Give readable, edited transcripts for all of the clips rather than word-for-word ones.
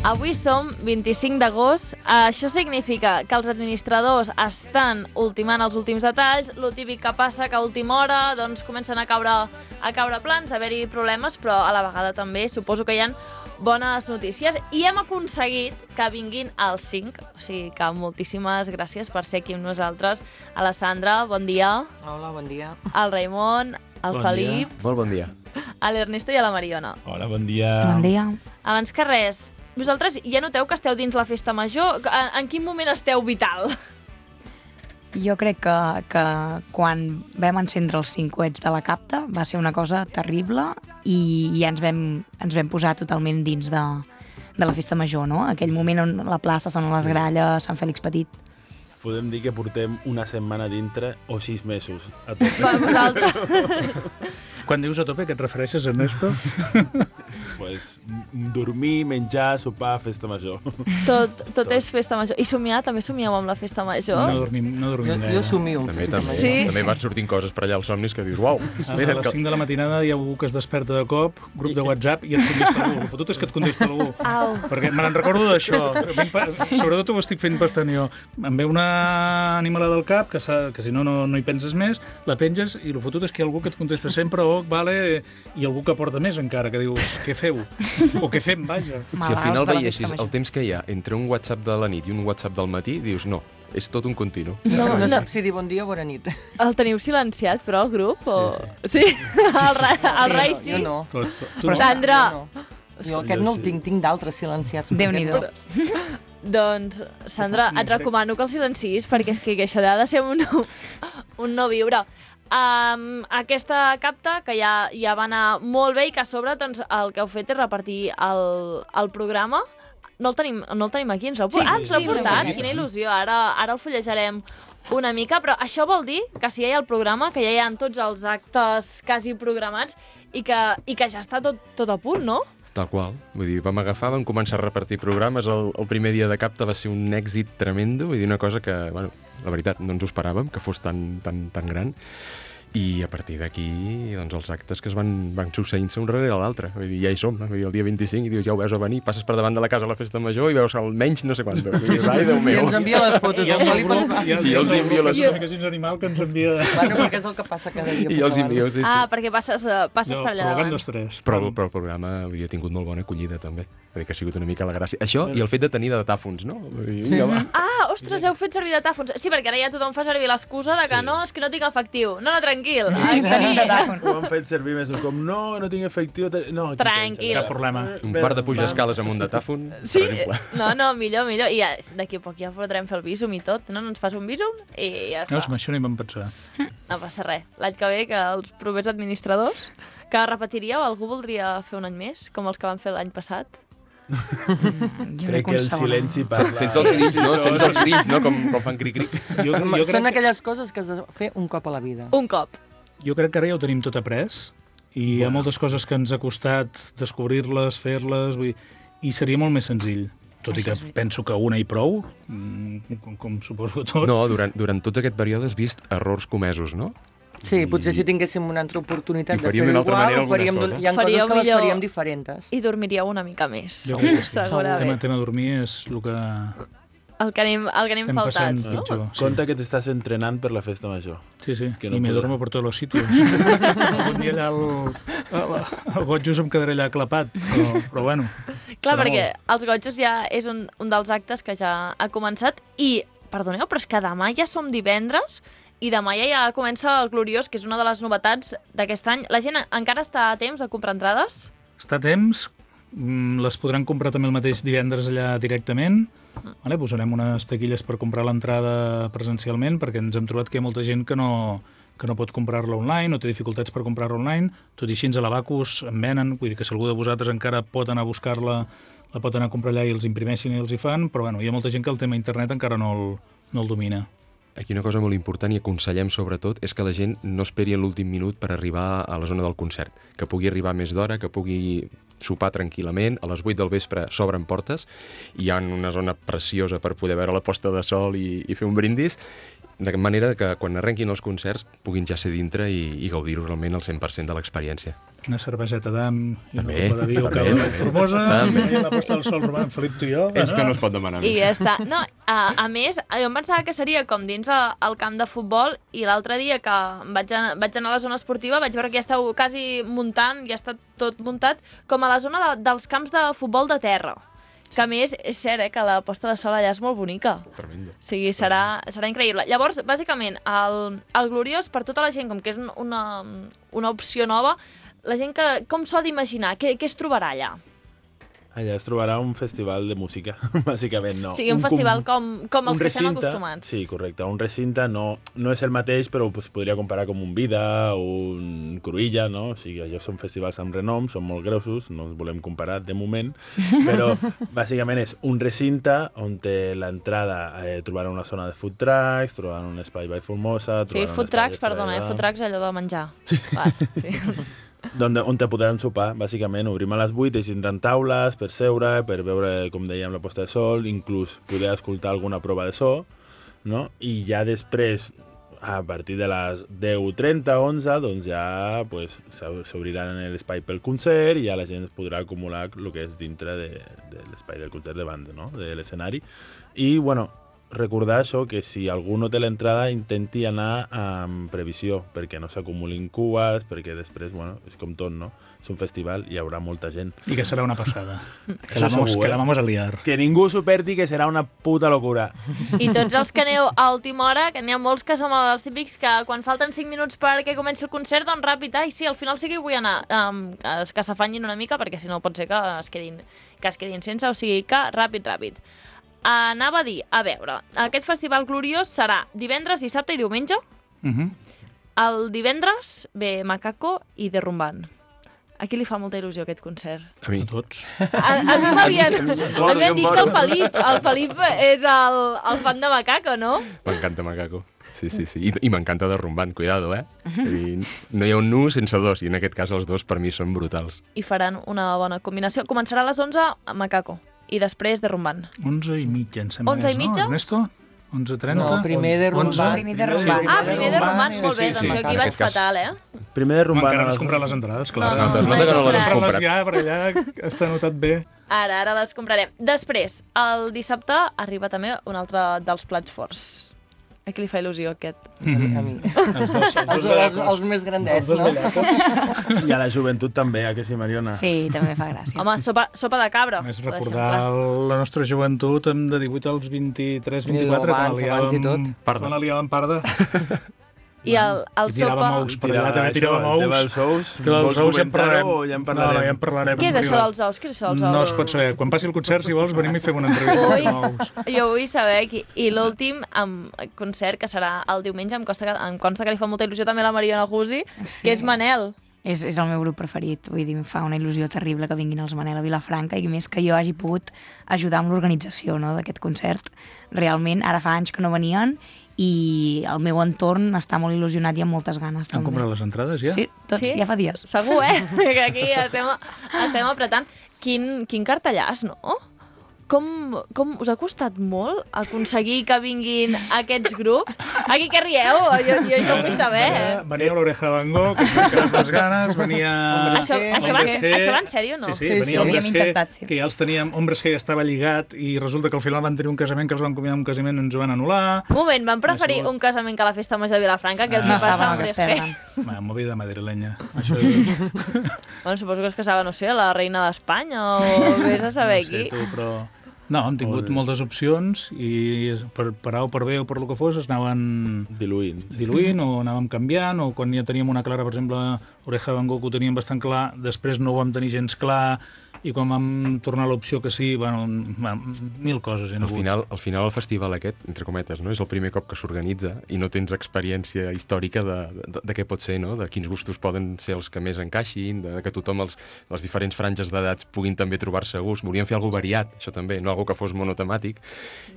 Avui som 25 d'agost. Això significa que els administradors estan ultimant els últims detalls. Lo típic que passa que a última hora doncs, comencen a caure plans, a haver-hi problemes, però a la vegada també suposo que hi ha bones notícies. I hem aconseguit que vinguin als 5. O sigui que moltíssimes gràcies per ser aquí amb nosaltres. A la Sandra, bon dia. Hola, bon dia. Al Raimon, al Bon Felip, dia. Molt bon dia. a l'Ernesto i a la Mariona. Hola, bon dia. Bon dia. Abans que res, vosaltres ja noteu que esteu dins la festa major? En quin moment esteu vital? Jo crec que quan vam encendre els 5 coets de la capta va ser una cosa terrible i ja ens vam posar totalment dins de la festa major, no? Aquell moment on la plaça sonen les gralles, Sant Fèlix Petit. Podem dir que portem una setmana dintre o 6 mesos a tope. Per vosaltres. Quan dius a tope, què et refereixes, Ernesto? Pues, dormir, menjar, sopar, festa major. Tot és festa major. I somiar, també somieu amb la festa major? No dormim gaire. Jo somio un També, festa també, major. Sí. també van sortint coses per allà als somnis que dius, uau, A espera, les 5 de la matinada hi ha algú que es desperta de cop, grup de WhatsApp, i et contesta algú. El fotut és que et contesta algú. Au. Perquè me n'en recordo d'això. Sobretot ho estic fent bastant jo. Em ve una animalada al cap, que si no hi penses més, la penges i el fotut és que hi ha algú que et contesta sempre, vale, i algú que porta més encara, que dius, què feu? O què fem, vaja. si al final veiessis el temps que hi ha entre un WhatsApp de la nit i un WhatsApp del matí, dius, no, és tot un continu. No saps si dir bon dia o bona nit. El teniu silenciat, però, el grup? Sí. Sí? El Rai sí? Jo no. Però Sandra! Jo no. Jo aquest no el tinc d'altres silenciats. Déu-n'hi-do. Doncs, Sandra, et recomano que el silencis, perquè és que això ha de ser un no viure. Aquesta capta, que ja va anar molt bé i que a sobre doncs, el que heu fet és repartir el programa. No el tenim aquí, ens l'heu portat? Ens l'heu portat? Quina il·lusió, ara el fullejarem una mica, però això vol dir que si ja hi ha el programa, que ja hi ha tots els actes quasi programats i que ja està tot a punt, no? Tal qual. Vull dir, vam començar a repartir programes. El primer dia de capta va ser un èxit tremendo, vull dir, una cosa que, bueno, la veritat, no ens ho esperàvem, que fos tan gran. I a partir d'aquí, doncs, els actes que es van succeint-se un darrere l'altre. Vull dir, ja hi som, vull dir, el dia 25, i dius, ja ho veus a venir, passes per davant de la casa a la festa major i veus almenys no sé quant. Vull dir, ai, Déu I meu. ens envia les fotos. hi ha El un Felip grup, ens- I els envio les... comunicacions animal que ens envia... Bueno, perquè és el que passa cada dia. I els envio, sí. Perquè passes per allà davant. Però el programa havia tingut molt bona acollida, també. Vull dir que ha sigut una mica la gràcia. Això i el fet de tenir datàfons, no? Vull dir, vinga, va. Ostres, heu fet servir datàfons. Sí, perquè ara ja tothom fa servir l'excusa de que no, és que no tinc efectiu. No, tranquil. Tenim datàfon. Ho han fet servir més com, no tinc efectiu. No, aquí Tranquil. Cap problema. Un par de pujar escales amb un datàfon, Sí, per exemple. no, millor. I ja, d'aquí a poc ja podrem fer el bísum i tot, no? Ens fas un bísum i ja està. Veus, amb això no hi vam pensar. No passa res. L'any que ve, que els propers administradors, que repetiríeu, algú voldria fer un any més, com els que van fer l'any passat? Crec que el silenci parla. Sense els grills, no? Com fan cric-cric. Són aquelles coses que has de fer un cop a la vida. Un cop. Jo crec que ara ja ho tenim tot après i hi ha moltes coses que ens ha costat descobrir-les, fer-les, i seria molt més senzill. Tot i que penso que una i prou, com suposo tot. No, durant tot aquest període has vist errors comesos, no? Sí, potser si tinguéssim una altra oportunitat I de faríem fer-ho d'una altra igual, manera ho faríem algunes coses. hi ha coses Faríeu que les millor. faríem diferents. I dormiríeu una mica més. Jo crec que sí. Segurament. El tema dormir és el que El que anem estem passant faltats, no? pitjor. Sí. Compte que t'estàs entrenant per la festa major. Sí, Que no i me podrà. duermo por todos los sitios. Algun dia allà al Gotjos em quedaré allà clapat, però bueno. Clar, serà perquè els Gotjos ja és un dels actes que ja ha començat i, perdoneu, però és que demà ja som divendres i demà ja comença el Gloriós, que és una de les novetats d'aquest any. La gent encara està a temps de comprar entrades? Està a temps, les podran comprar també el mateix divendres allà directament. Vale, posarem unes taquilles per comprar l'entrada presencialment, perquè ens hem trobat que hi ha molta gent que no pot comprar-la online o té dificultats per comprar-la online. Tot i així, a l'Abacus en venen, vull dir que si algú de vosaltres encara pot anar a buscar-la, la pot anar a comprar allà i els imprimeixin i els hi fan, però bueno, hi ha molta gent que el tema internet encara no el domina. Aquí una cosa molt important i aconsellem sobretot és que la gent no esperi a l'últim minut per arribar a la zona del concert, que pugui arribar més d'hora, que pugui sopar tranquil·lament, a les 8 del vespre s'obren portes i hi ha una zona preciosa per poder veure la posta de sol i fer un brindis, de manera que quan arrenquin els concerts puguin ja ser dintre i gaudir-ho realment al 100% de l'experiència. Una cerveseta d'am i una També, copa de vi o també, cava de també. Formosa, També. i la posta del sol robant Felip, tu i jo. És que no es pot demanar I més. ja està. No, a més, jo em pensava que seria com dins el camp de futbol i l'altre dia que vaig anar a la zona esportiva vaig veure que ja esteu quasi muntant, ja està tot muntat, com a la zona dels camps de futbol de terra. Que a més, és cert, que la posta de sol allà és molt bonica. Tremendo. O sigui, serà increïble. Llavors, bàsicament, el Gloriós, per tota la gent, com que és una opció nova, la gent que com s'ho ha d'imaginar? Què es trobarà allà? Allà es trobarà un festival de música, bàsicament, no. O sigui, un festival com els que estem acostumats. Sí, correcte. Un recinte no és el mateix, però es podria comparar com un Vida o un Cruïlla, no? O sigui, allò són festivals amb renom, són molt grossos, no els volem comparar de moment, però bàsicament és un recinte on té l'entrada, trobarà una zona de food trucks, trobarà un espai by Formosa... Sí, food trucks, perdona, food trucks allò de menjar. Sí. On te podran sopar, bàsicament. Obrim a les 8, i tindran taules per seure, per veure, com dèiem, la posta de sol, inclús poder escoltar alguna prova de so, no? I ja després, a partir de les 10:30, 11, doncs ja s'obriran l'espai pel concert i ja la gent es podrà acumular el que és dintre de l'espai del concert de banda, no? De l'escenari. I, bueno, recordar això, que si algú no té l'entrada intenti anar amb previsió, perquè no s'acumulin cues, perquè després, bueno, és com tot, no? És un festival i hi haurà molta gent. I que serà una passada. Que Això segur, la vamos a liar. Que ningú s'ho perdi, que serà una puta locura. I tots els que aneu a última hora, que n'hi ha molts que som els típics que quan falten 5 minuts perquè comenci el concert, doncs ràpid, ai, sí, al final sí que hi vull anar, que s'afanyin una mica, perquè si no pot ser que es quedin sense, o sigui que ràpid. Anava a dir, a veure, aquest festival gloriós serà divendres, dissabte i diumenge. El divendres ve Macaco i Derrumbant. A qui li fa molta il·lusió aquest concert? A mi. A tots. A mi m'havien dit que el Felip és el fan de Macaco, no? M'encanta Macaco. Sí. I m'encanta Derrumbant, cuidado, eh? És a dir, no hi ha un nu sense dos, i en aquest cas els dos per mi són brutals. I faran una bona combinació. Començarà a les 11 a Macaco i després Derrumbant. 11:30, em sembla. 11:30? No, Ernesto? 11:30? No, primer Derrumbant. Primer Derrumbant. Primer Derrumbant, molt bé, Sí, doncs jo aquí en vaig aquest cas. fatal, Primer de rumbant. Encara no has comprat les entrades, clar. No, Es nota que no les has comprat. comprat. Ja, per allà està anotat bé. Ara les comprarem. Després, el dissabte arriba també un altre dels plats forts. A qui li fa il·lusió aquest? A mi. Els més grandets, no? I a la joventut també, que sí, Mariona? Sí, també fa gràcia. Home, sopa de cabra. Més per recordar exemple. la nostra joventut de 18 als 23, 24, Abans i tot. Quan la liàvem parda. I el I tirava sopa... mous per allà, també tirava mous. Tema dels ous. Tema dels ous ja en parlarem. O ja en No, parlarem? ja en parlarem. Què és això dels ous? Què és això dels ous? No es pot saber. Quan passi el concert, si vols, venim i fem una entrevista Ui, amb ous. jo vull saber qui. I l'últim concert, que serà el diumenge, em consta que li fa molta il·lusió també a la Mariona Guzzi, que és Manel. És el meu grup preferit, vull dir, em fa una il·lusió terrible que vinguin els Manel a Vilafranca i més que jo hagi pogut ajudar amb l'organització, no, d'aquest concert. Realment, ara fa anys que no venien i el meu entorn està molt il·lusionat i amb moltes ganes. Han també. comprat les entrades, ja? Sí, tots, Sí? ja fa dies. Segur, que aquí estem apretant. Quin cartellàs, no? Com us ha costat molt aconseguir que vinguin aquests grups? Aquí que rieu, jo això ho vull saber. Venia l'Oreja Van Gogh, que ens quedat les ganes, venia... Això va en sèrio, no? Sí, Sí, venia havíem Hombres G, intentat, sí. que ja els teníem... Hombres G estava lligat i resulta que al final van tenir un casament que els van convidar a un casament i ens ho van anul·lar. Un moment, van preferir un casament que la festa major de Vilafranca, que els hi No passa saben amb el que es Hombres G. perden. Va, movida madrilenya. Això és... Bueno, suposo que es casava, no sé, la reina d'Espanya o vés a saber No sé, qui. tu, però... No, hem tingut moltes opcions i per A o per B o per lo que fos es anaven diluint o anàvem canviant o quan ja teníem una clara, per exemple, Oreja Van Gogh ho teníem bastant clar, després no ho vam tenir gens clar i quan vam tornar a l'opció que sí, bueno, mil coses. Al final el festival aquest, entre cometes, no? És el primer cop que s'organitza i no tens experiència històrica de què pot ser, no? De quins gustos poden ser els que més encaixin, de que tothom, les diferents franges d'edats puguin també trobar-se a gust. Volíem fer alguna variat, això també, no algo que fos monotemàtic,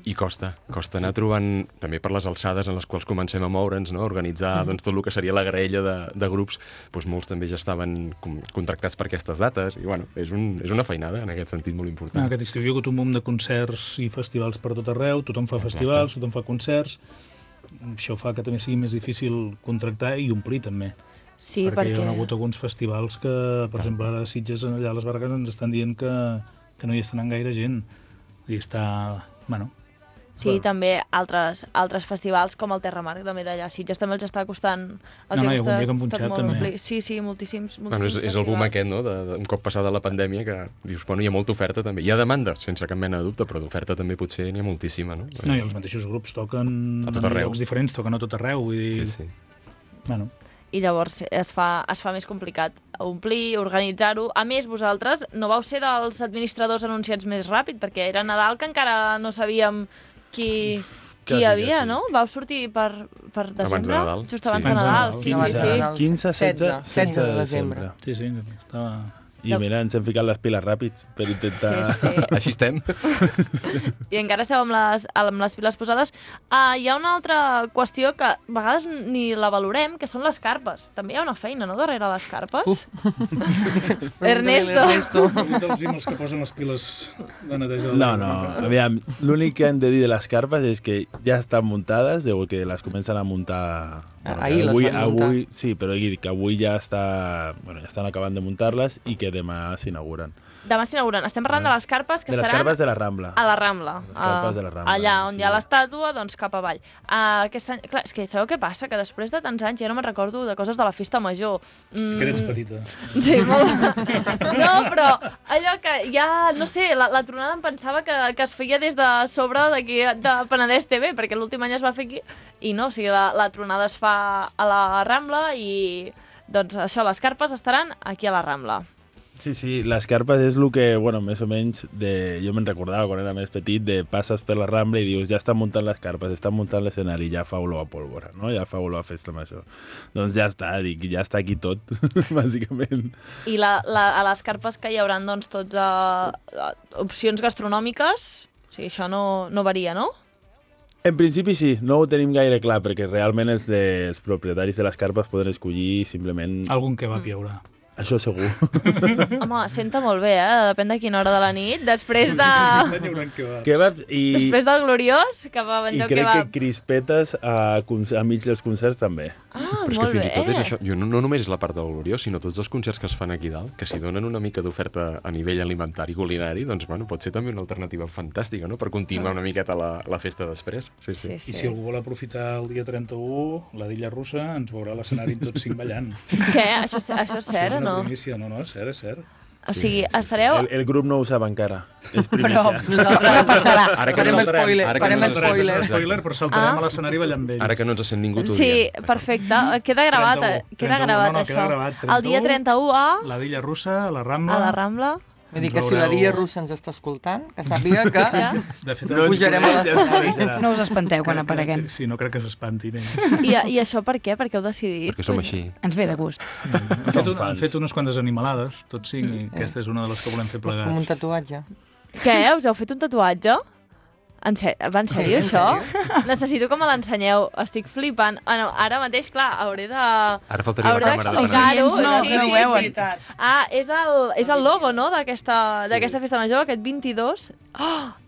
i costa anar trobant, també per les alçades en les quals comencem a moure'ns, no? Organitzar doncs, tot el que seria la graella de grups, doncs molts també ja estaven contractats per aquestes dates, i bueno, és una feinada en aquest sentit molt important. Aquest estiu hi ha hagut un munt de concerts i festivals per tot arreu, tothom fa festivals, tothom fa concerts, això fa que també sigui més difícil contractar i omplir també. Sí, perquè hi ha hagut alguns festivals que, per exemple, ara a Sitges, allà a les Vargues, ens estan dient que no hi està anant gaire gent. I està... Bueno, sí, també altres festivals com el Terramarc també d'allà a Sitges també els està costant... hi ha algun dia que han punxat també. Sí, moltíssims Bueno, és el boom aquest, no? Un cop passada la pandèmia que dius, bueno, hi ha molta oferta també. Hi ha demanda, sense cap mena de dubte, però d'oferta també potser n'hi ha moltíssima, no? No, i els mateixos grups toquen a tot arreu. En llocs diferents, toquen a tot arreu. Vull dir... Sí. Bueno. I llavors es fa més complicat omplir, organitzar-ho. A més, vosaltres no vau ser dels administradors anunciats més ràpid, perquè era Nadal que encara no sabíem qui hi havia, no? Vau sortir per desembre? Abans de Nadal. Just abans de Nadal, sí. 15, 16 de desembre. Sí, estava... I mira, ens hem ficat les piles ràpids per intentar... Sí. Així estem. I encara esteu amb les piles posades. Hi ha una altra qüestió que a vegades ni la valorem, que són les carpes. També hi ha una feina, no?, darrere les carpes. Ernesto. Els que posen les piles de neteja. No, aviam, l'únic que hem de dir de les carpes és que ja estan muntades, que les comencen a muntar... Ahir les van muntar. Sí, però he dit que avui ja estan acabant de muntar-les i que demà s'inauguren. Demà s'inauguren. Estem parlant de les carpes que de estaran... les carpes de la Rambla. A la Rambla. Les carpes de la Rambla. Allà on hi ha l'estàtua, doncs cap avall. Aquest any... Clar, és que sabeu què passa? Que després de tants anys ja no me'n recordo de coses de la festa major. És que eres petita. Sí, molt... No, però allò que ja, no sé, la tronada em pensava que es feia des de sobre d'aquí de Penedès TV, perquè l'últim any es va fer aquí, i no, o sigui, la tronada es fa a la Rambla i, doncs, això, les carpes estaran aquí a la Rambla. Sí, les carpes és el que, més o menys, jo me'n recordava quan era més petit, de passes per la Rambla i dius, ja estan muntant les carpes, estan muntant l'escenari, ja fa olor a pólvora, no? Ja fa olor a festa major. Doncs ja està, ja està aquí tot, bàsicament. I a les carpes que hi haurà, doncs, tots opcions gastronòmiques, o sigui, això no varia, no? En principi sí, no ho tenim gaire clar, perquè realment els propietaris de les carpes poden escollir simplement... Algun kebab hi haurà. Això segur. Home, senta molt bé, depèn de quina hora de la nit, després de... Kebabs i... Després del Gloriós, que va menjar kebab. I crec que crispetes a mig dels concerts també. Però és que fins i tot és això, no només és la part del Gloriós, sinó tots els concerts que es fan aquí dalt, que si donen una mica d'oferta a nivell alimentari i culinari, doncs pot ser també una alternativa fantàstica, no?, per continuar una miqueta la festa després. Sí. I si algú vol aprofitar el dia 31, la d'Illa Russa, ens veurà l'escenari tots 5 ballant. Què? Això és cert, no? És cert. O sigui, estareu... El grup no ho sap encara. És Però primícia. passarà. Farem spoiler. Però saltarem a l'escenari ballant amb ells. Ara que no ens sent ningú, t'ho diem. Sí, perfecte. Queda gravat, això. El dia 31 a... La d'Illa Russa, a la Rambla. A la Rambla. Vull dir que si la Dia Russa ens està escoltant, que sàpiga que pujarem a l'escenari. No us espanteu quan apareguem. Sí, no crec que s'espantin. I això per què? Per què heu decidit? Perquè som així. Ens ve de gust. Han fet unes quantes animalades, tots 5, i aquesta és una de les que volem fer plegats. Com un tatuatge. Què? Us heu fet un tatuatge? Va, en sèrio, això? Necessito que me l'ensenyeu. Estic flipant. Ara mateix, clar, hauré de... Ara faltaria la càmera de d'explicar-ho. Sí. És el logo, no?, d'aquesta festa major, aquest 22.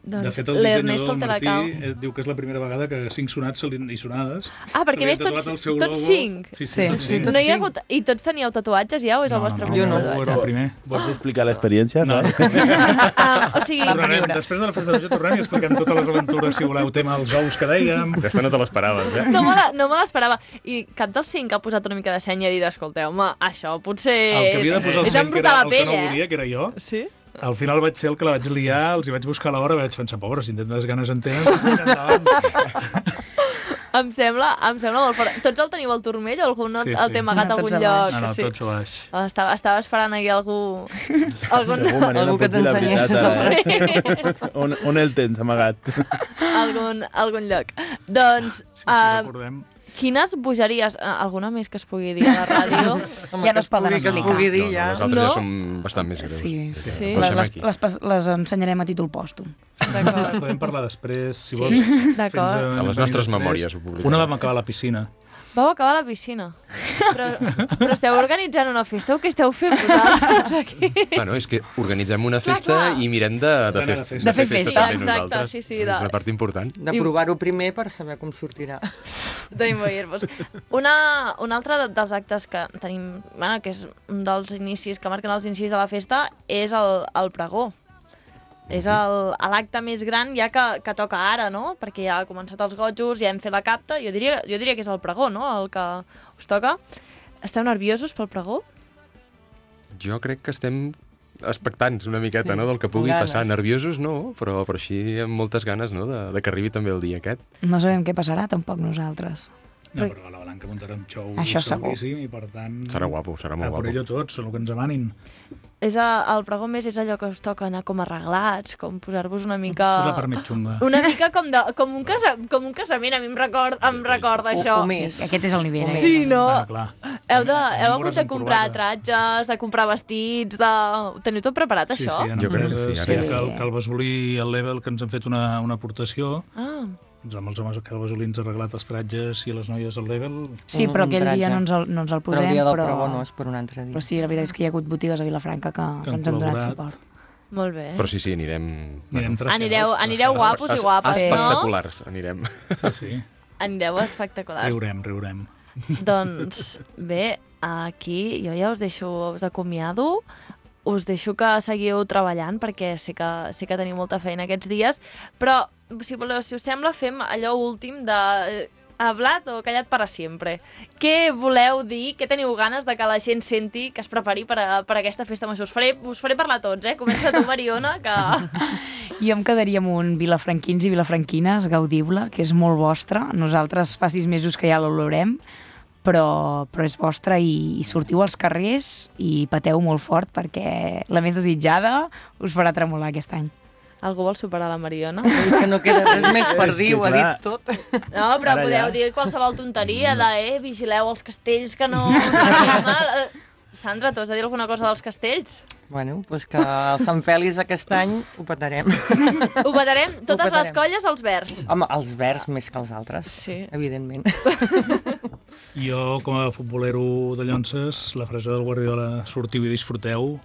De fet, el dissenyador del Martí diu que és la primera vegada que 5 sonats i sonades... Perquè més tots 5? Sí. No hi ha hagut... I tots teníeu tatuatges ja, o és el vostre primer tatuatge? Jo no, el primer. Vols explicar l'experiència? No. O sigui... Després de la festa major tornem i expliquem totes les aventures, si voleu, tema els ous que dèiem... Aquesta no te l'esperaves, No me l'esperava. I cap dels 5 ha posat una mica de seny i ha dit, escolteu-me, això potser... El que havia de posar el seny, que era el que no volia, que era jo. Sí? Al final vaig ser el que la vaig liar, els hi vaig buscar l'hora, vaig pensar, pobres, si intentes ganes en tenen, Em sembla molt fort. Tots el teniu al turmell o algun el té amagat a algun lloc? No, tots a baix. Estava esperant aquí algú... Algú que t'ensenyés. On el tens amagat? Algun lloc. Doncs... Si recordem... Quines bogeries, alguna més que es pugui dir a la ràdio? Ja no es poden explicar. Les altres ja són bastant més greus. Sí. Les ensenyarem a títol pòstum. Podem parlar després, si vols. D'acord. A les nostres memòries ho publicarem. Una vam acabar a la piscina. Vau acabar a la piscina. Però esteu organitzant una festa o què esteu fent vosaltres aquí? Bueno, és que organitzem una festa i mirem de fer festa també nosaltres. Sí, és la part important. De provar-ho primer per saber com sortirà. D'immoir-vos. Un altre dels actes que tenim, bueno, que és un dels inicis, que marquen els inicis de la festa, és el pregó. És l'acte més gran ja que toca ara, no? Perquè ja ha començat els gotjos, ja hem fet la capta, jo diria que és el pregó, no?, el que us toca. Esteu nerviosos pel pregó? Jo crec que estem expectants una miqueta, no?, del que pugui passar. Nerviosos no, però així amb moltes ganes, no?, de que arribi també el dia aquest. No sabem què passarà tampoc nosaltres. No, però la Blanca muntarà un xou seguríssim i per tant... Serà guapo, serà molt guapo. A per ello tots, el que ens demanin. El pregó més és allò que us toca anar com arreglats, com posar-vos una mica... Això és la part més xunga. Una mica com un casament, a mi em recorda això. Sí, aquest és el nivell. Sí, no? Bueno, clar. Heu hagut de comprar tratges, de comprar vestits, Teniu tot preparat, això? Sí, jo crec que sí. Que el Besolí i el Level que ens han fet una aportació. Amb els homes que el Besolí ens ha arreglat els tratges i les noies al Level. Sí, però aquell dia no ens el posem. Però el dia del pregó no és per un altre dia. Però sí, la veritat és que hi ha hagut botigues a Vilafranca que ens han donat suport. Molt bé. Però sí, anirem... Anireu guapos i guapes, no? Espectaculars, anirem. Sí. Anireu espectaculars. Riurem. Doncs bé, aquí jo ja us acomiado. Us deixo que seguiu treballant perquè sé que teniu molta feina aquests dies, però si voleu, si us sembla, fem allò últim de hablat o callat para siempre. Què voleu dir, què teniu ganes de que la gent senti, que es prepari per aquesta festa major? Us faré parlar tots, Comença tu, Mariona, que... Jo em quedaria amb un vilafranquins i vilafranquines, gaudiu-la, que és molt vostre. Nosaltres fa 6 mesos que ja l'olorem, però és vostra i sortiu als carrers i pateu molt fort perquè la més desitjada us farà tremolar aquest any. Algú vol superar la Mariona? És que no queda res més per dir, ho ha dit tot. No, però podeu dir qualsevol tonteria vigileu els castells que no... Sandra, tu has de dir alguna cosa dels castells? Bueno, doncs que el Sant Fèlix aquest any ho petarem. Ho petarem? Totes les colles, els verds? Home, els verds més que els altres, evidentment. Jo, com a futbolero de Llonses, la frase del Guardiola, sortiu i disfruteu,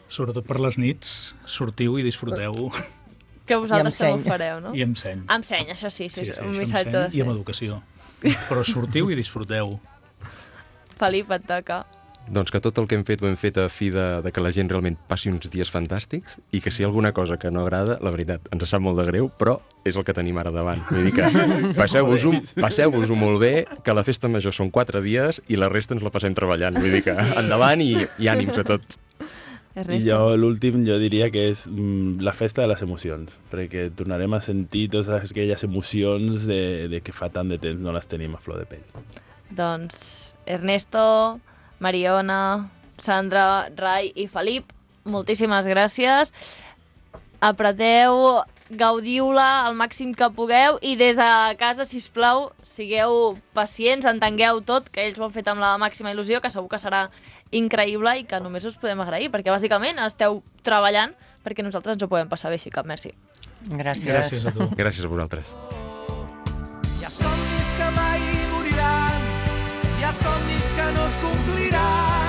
sobretot per les nits, sortiu i disfruteu. Que vosaltres també ho fareu, no? I amb seny. Amb seny, això sí, un missatge de i amb educació. Però sortiu i disfruteu. Felip, et toca. Doncs que tot el que hem fet ho hem fet a fi de que la gent realment passi uns dies fantàstics i que si hi ha alguna cosa que no agrada, la veritat, ens sap molt de greu, però és el que tenim ara davant. Vull dir que passeu-vos-ho molt bé, que la festa major són 4 dies i la resta ens la passem treballant. Vull dir que endavant i ànims a tots. I jo, l'últim, jo diria que és la festa de les emocions, perquè tornarem a sentir totes aquelles emocions de que fa tant de temps no les tenim a flor de pell. Doncs, Ernesto, Mariona, Sandra, Rai i Felip, moltíssimes gràcies. Apreteu, gaudiu-la al màxim que pugueu i des de casa, sisplau, sigueu pacients, entengueu tot, que ells ho han fet amb la màxima il·lusió, que segur que serà increïble i que només us podem agrair, perquè bàsicament esteu treballant perquè nosaltres ens ho podem passar bé així, cap merci. Gràcies. Gràcies a tu. Gràcies a vosaltres. Hi ha somnis que mai moriran, hi ha somnis que no es compliran.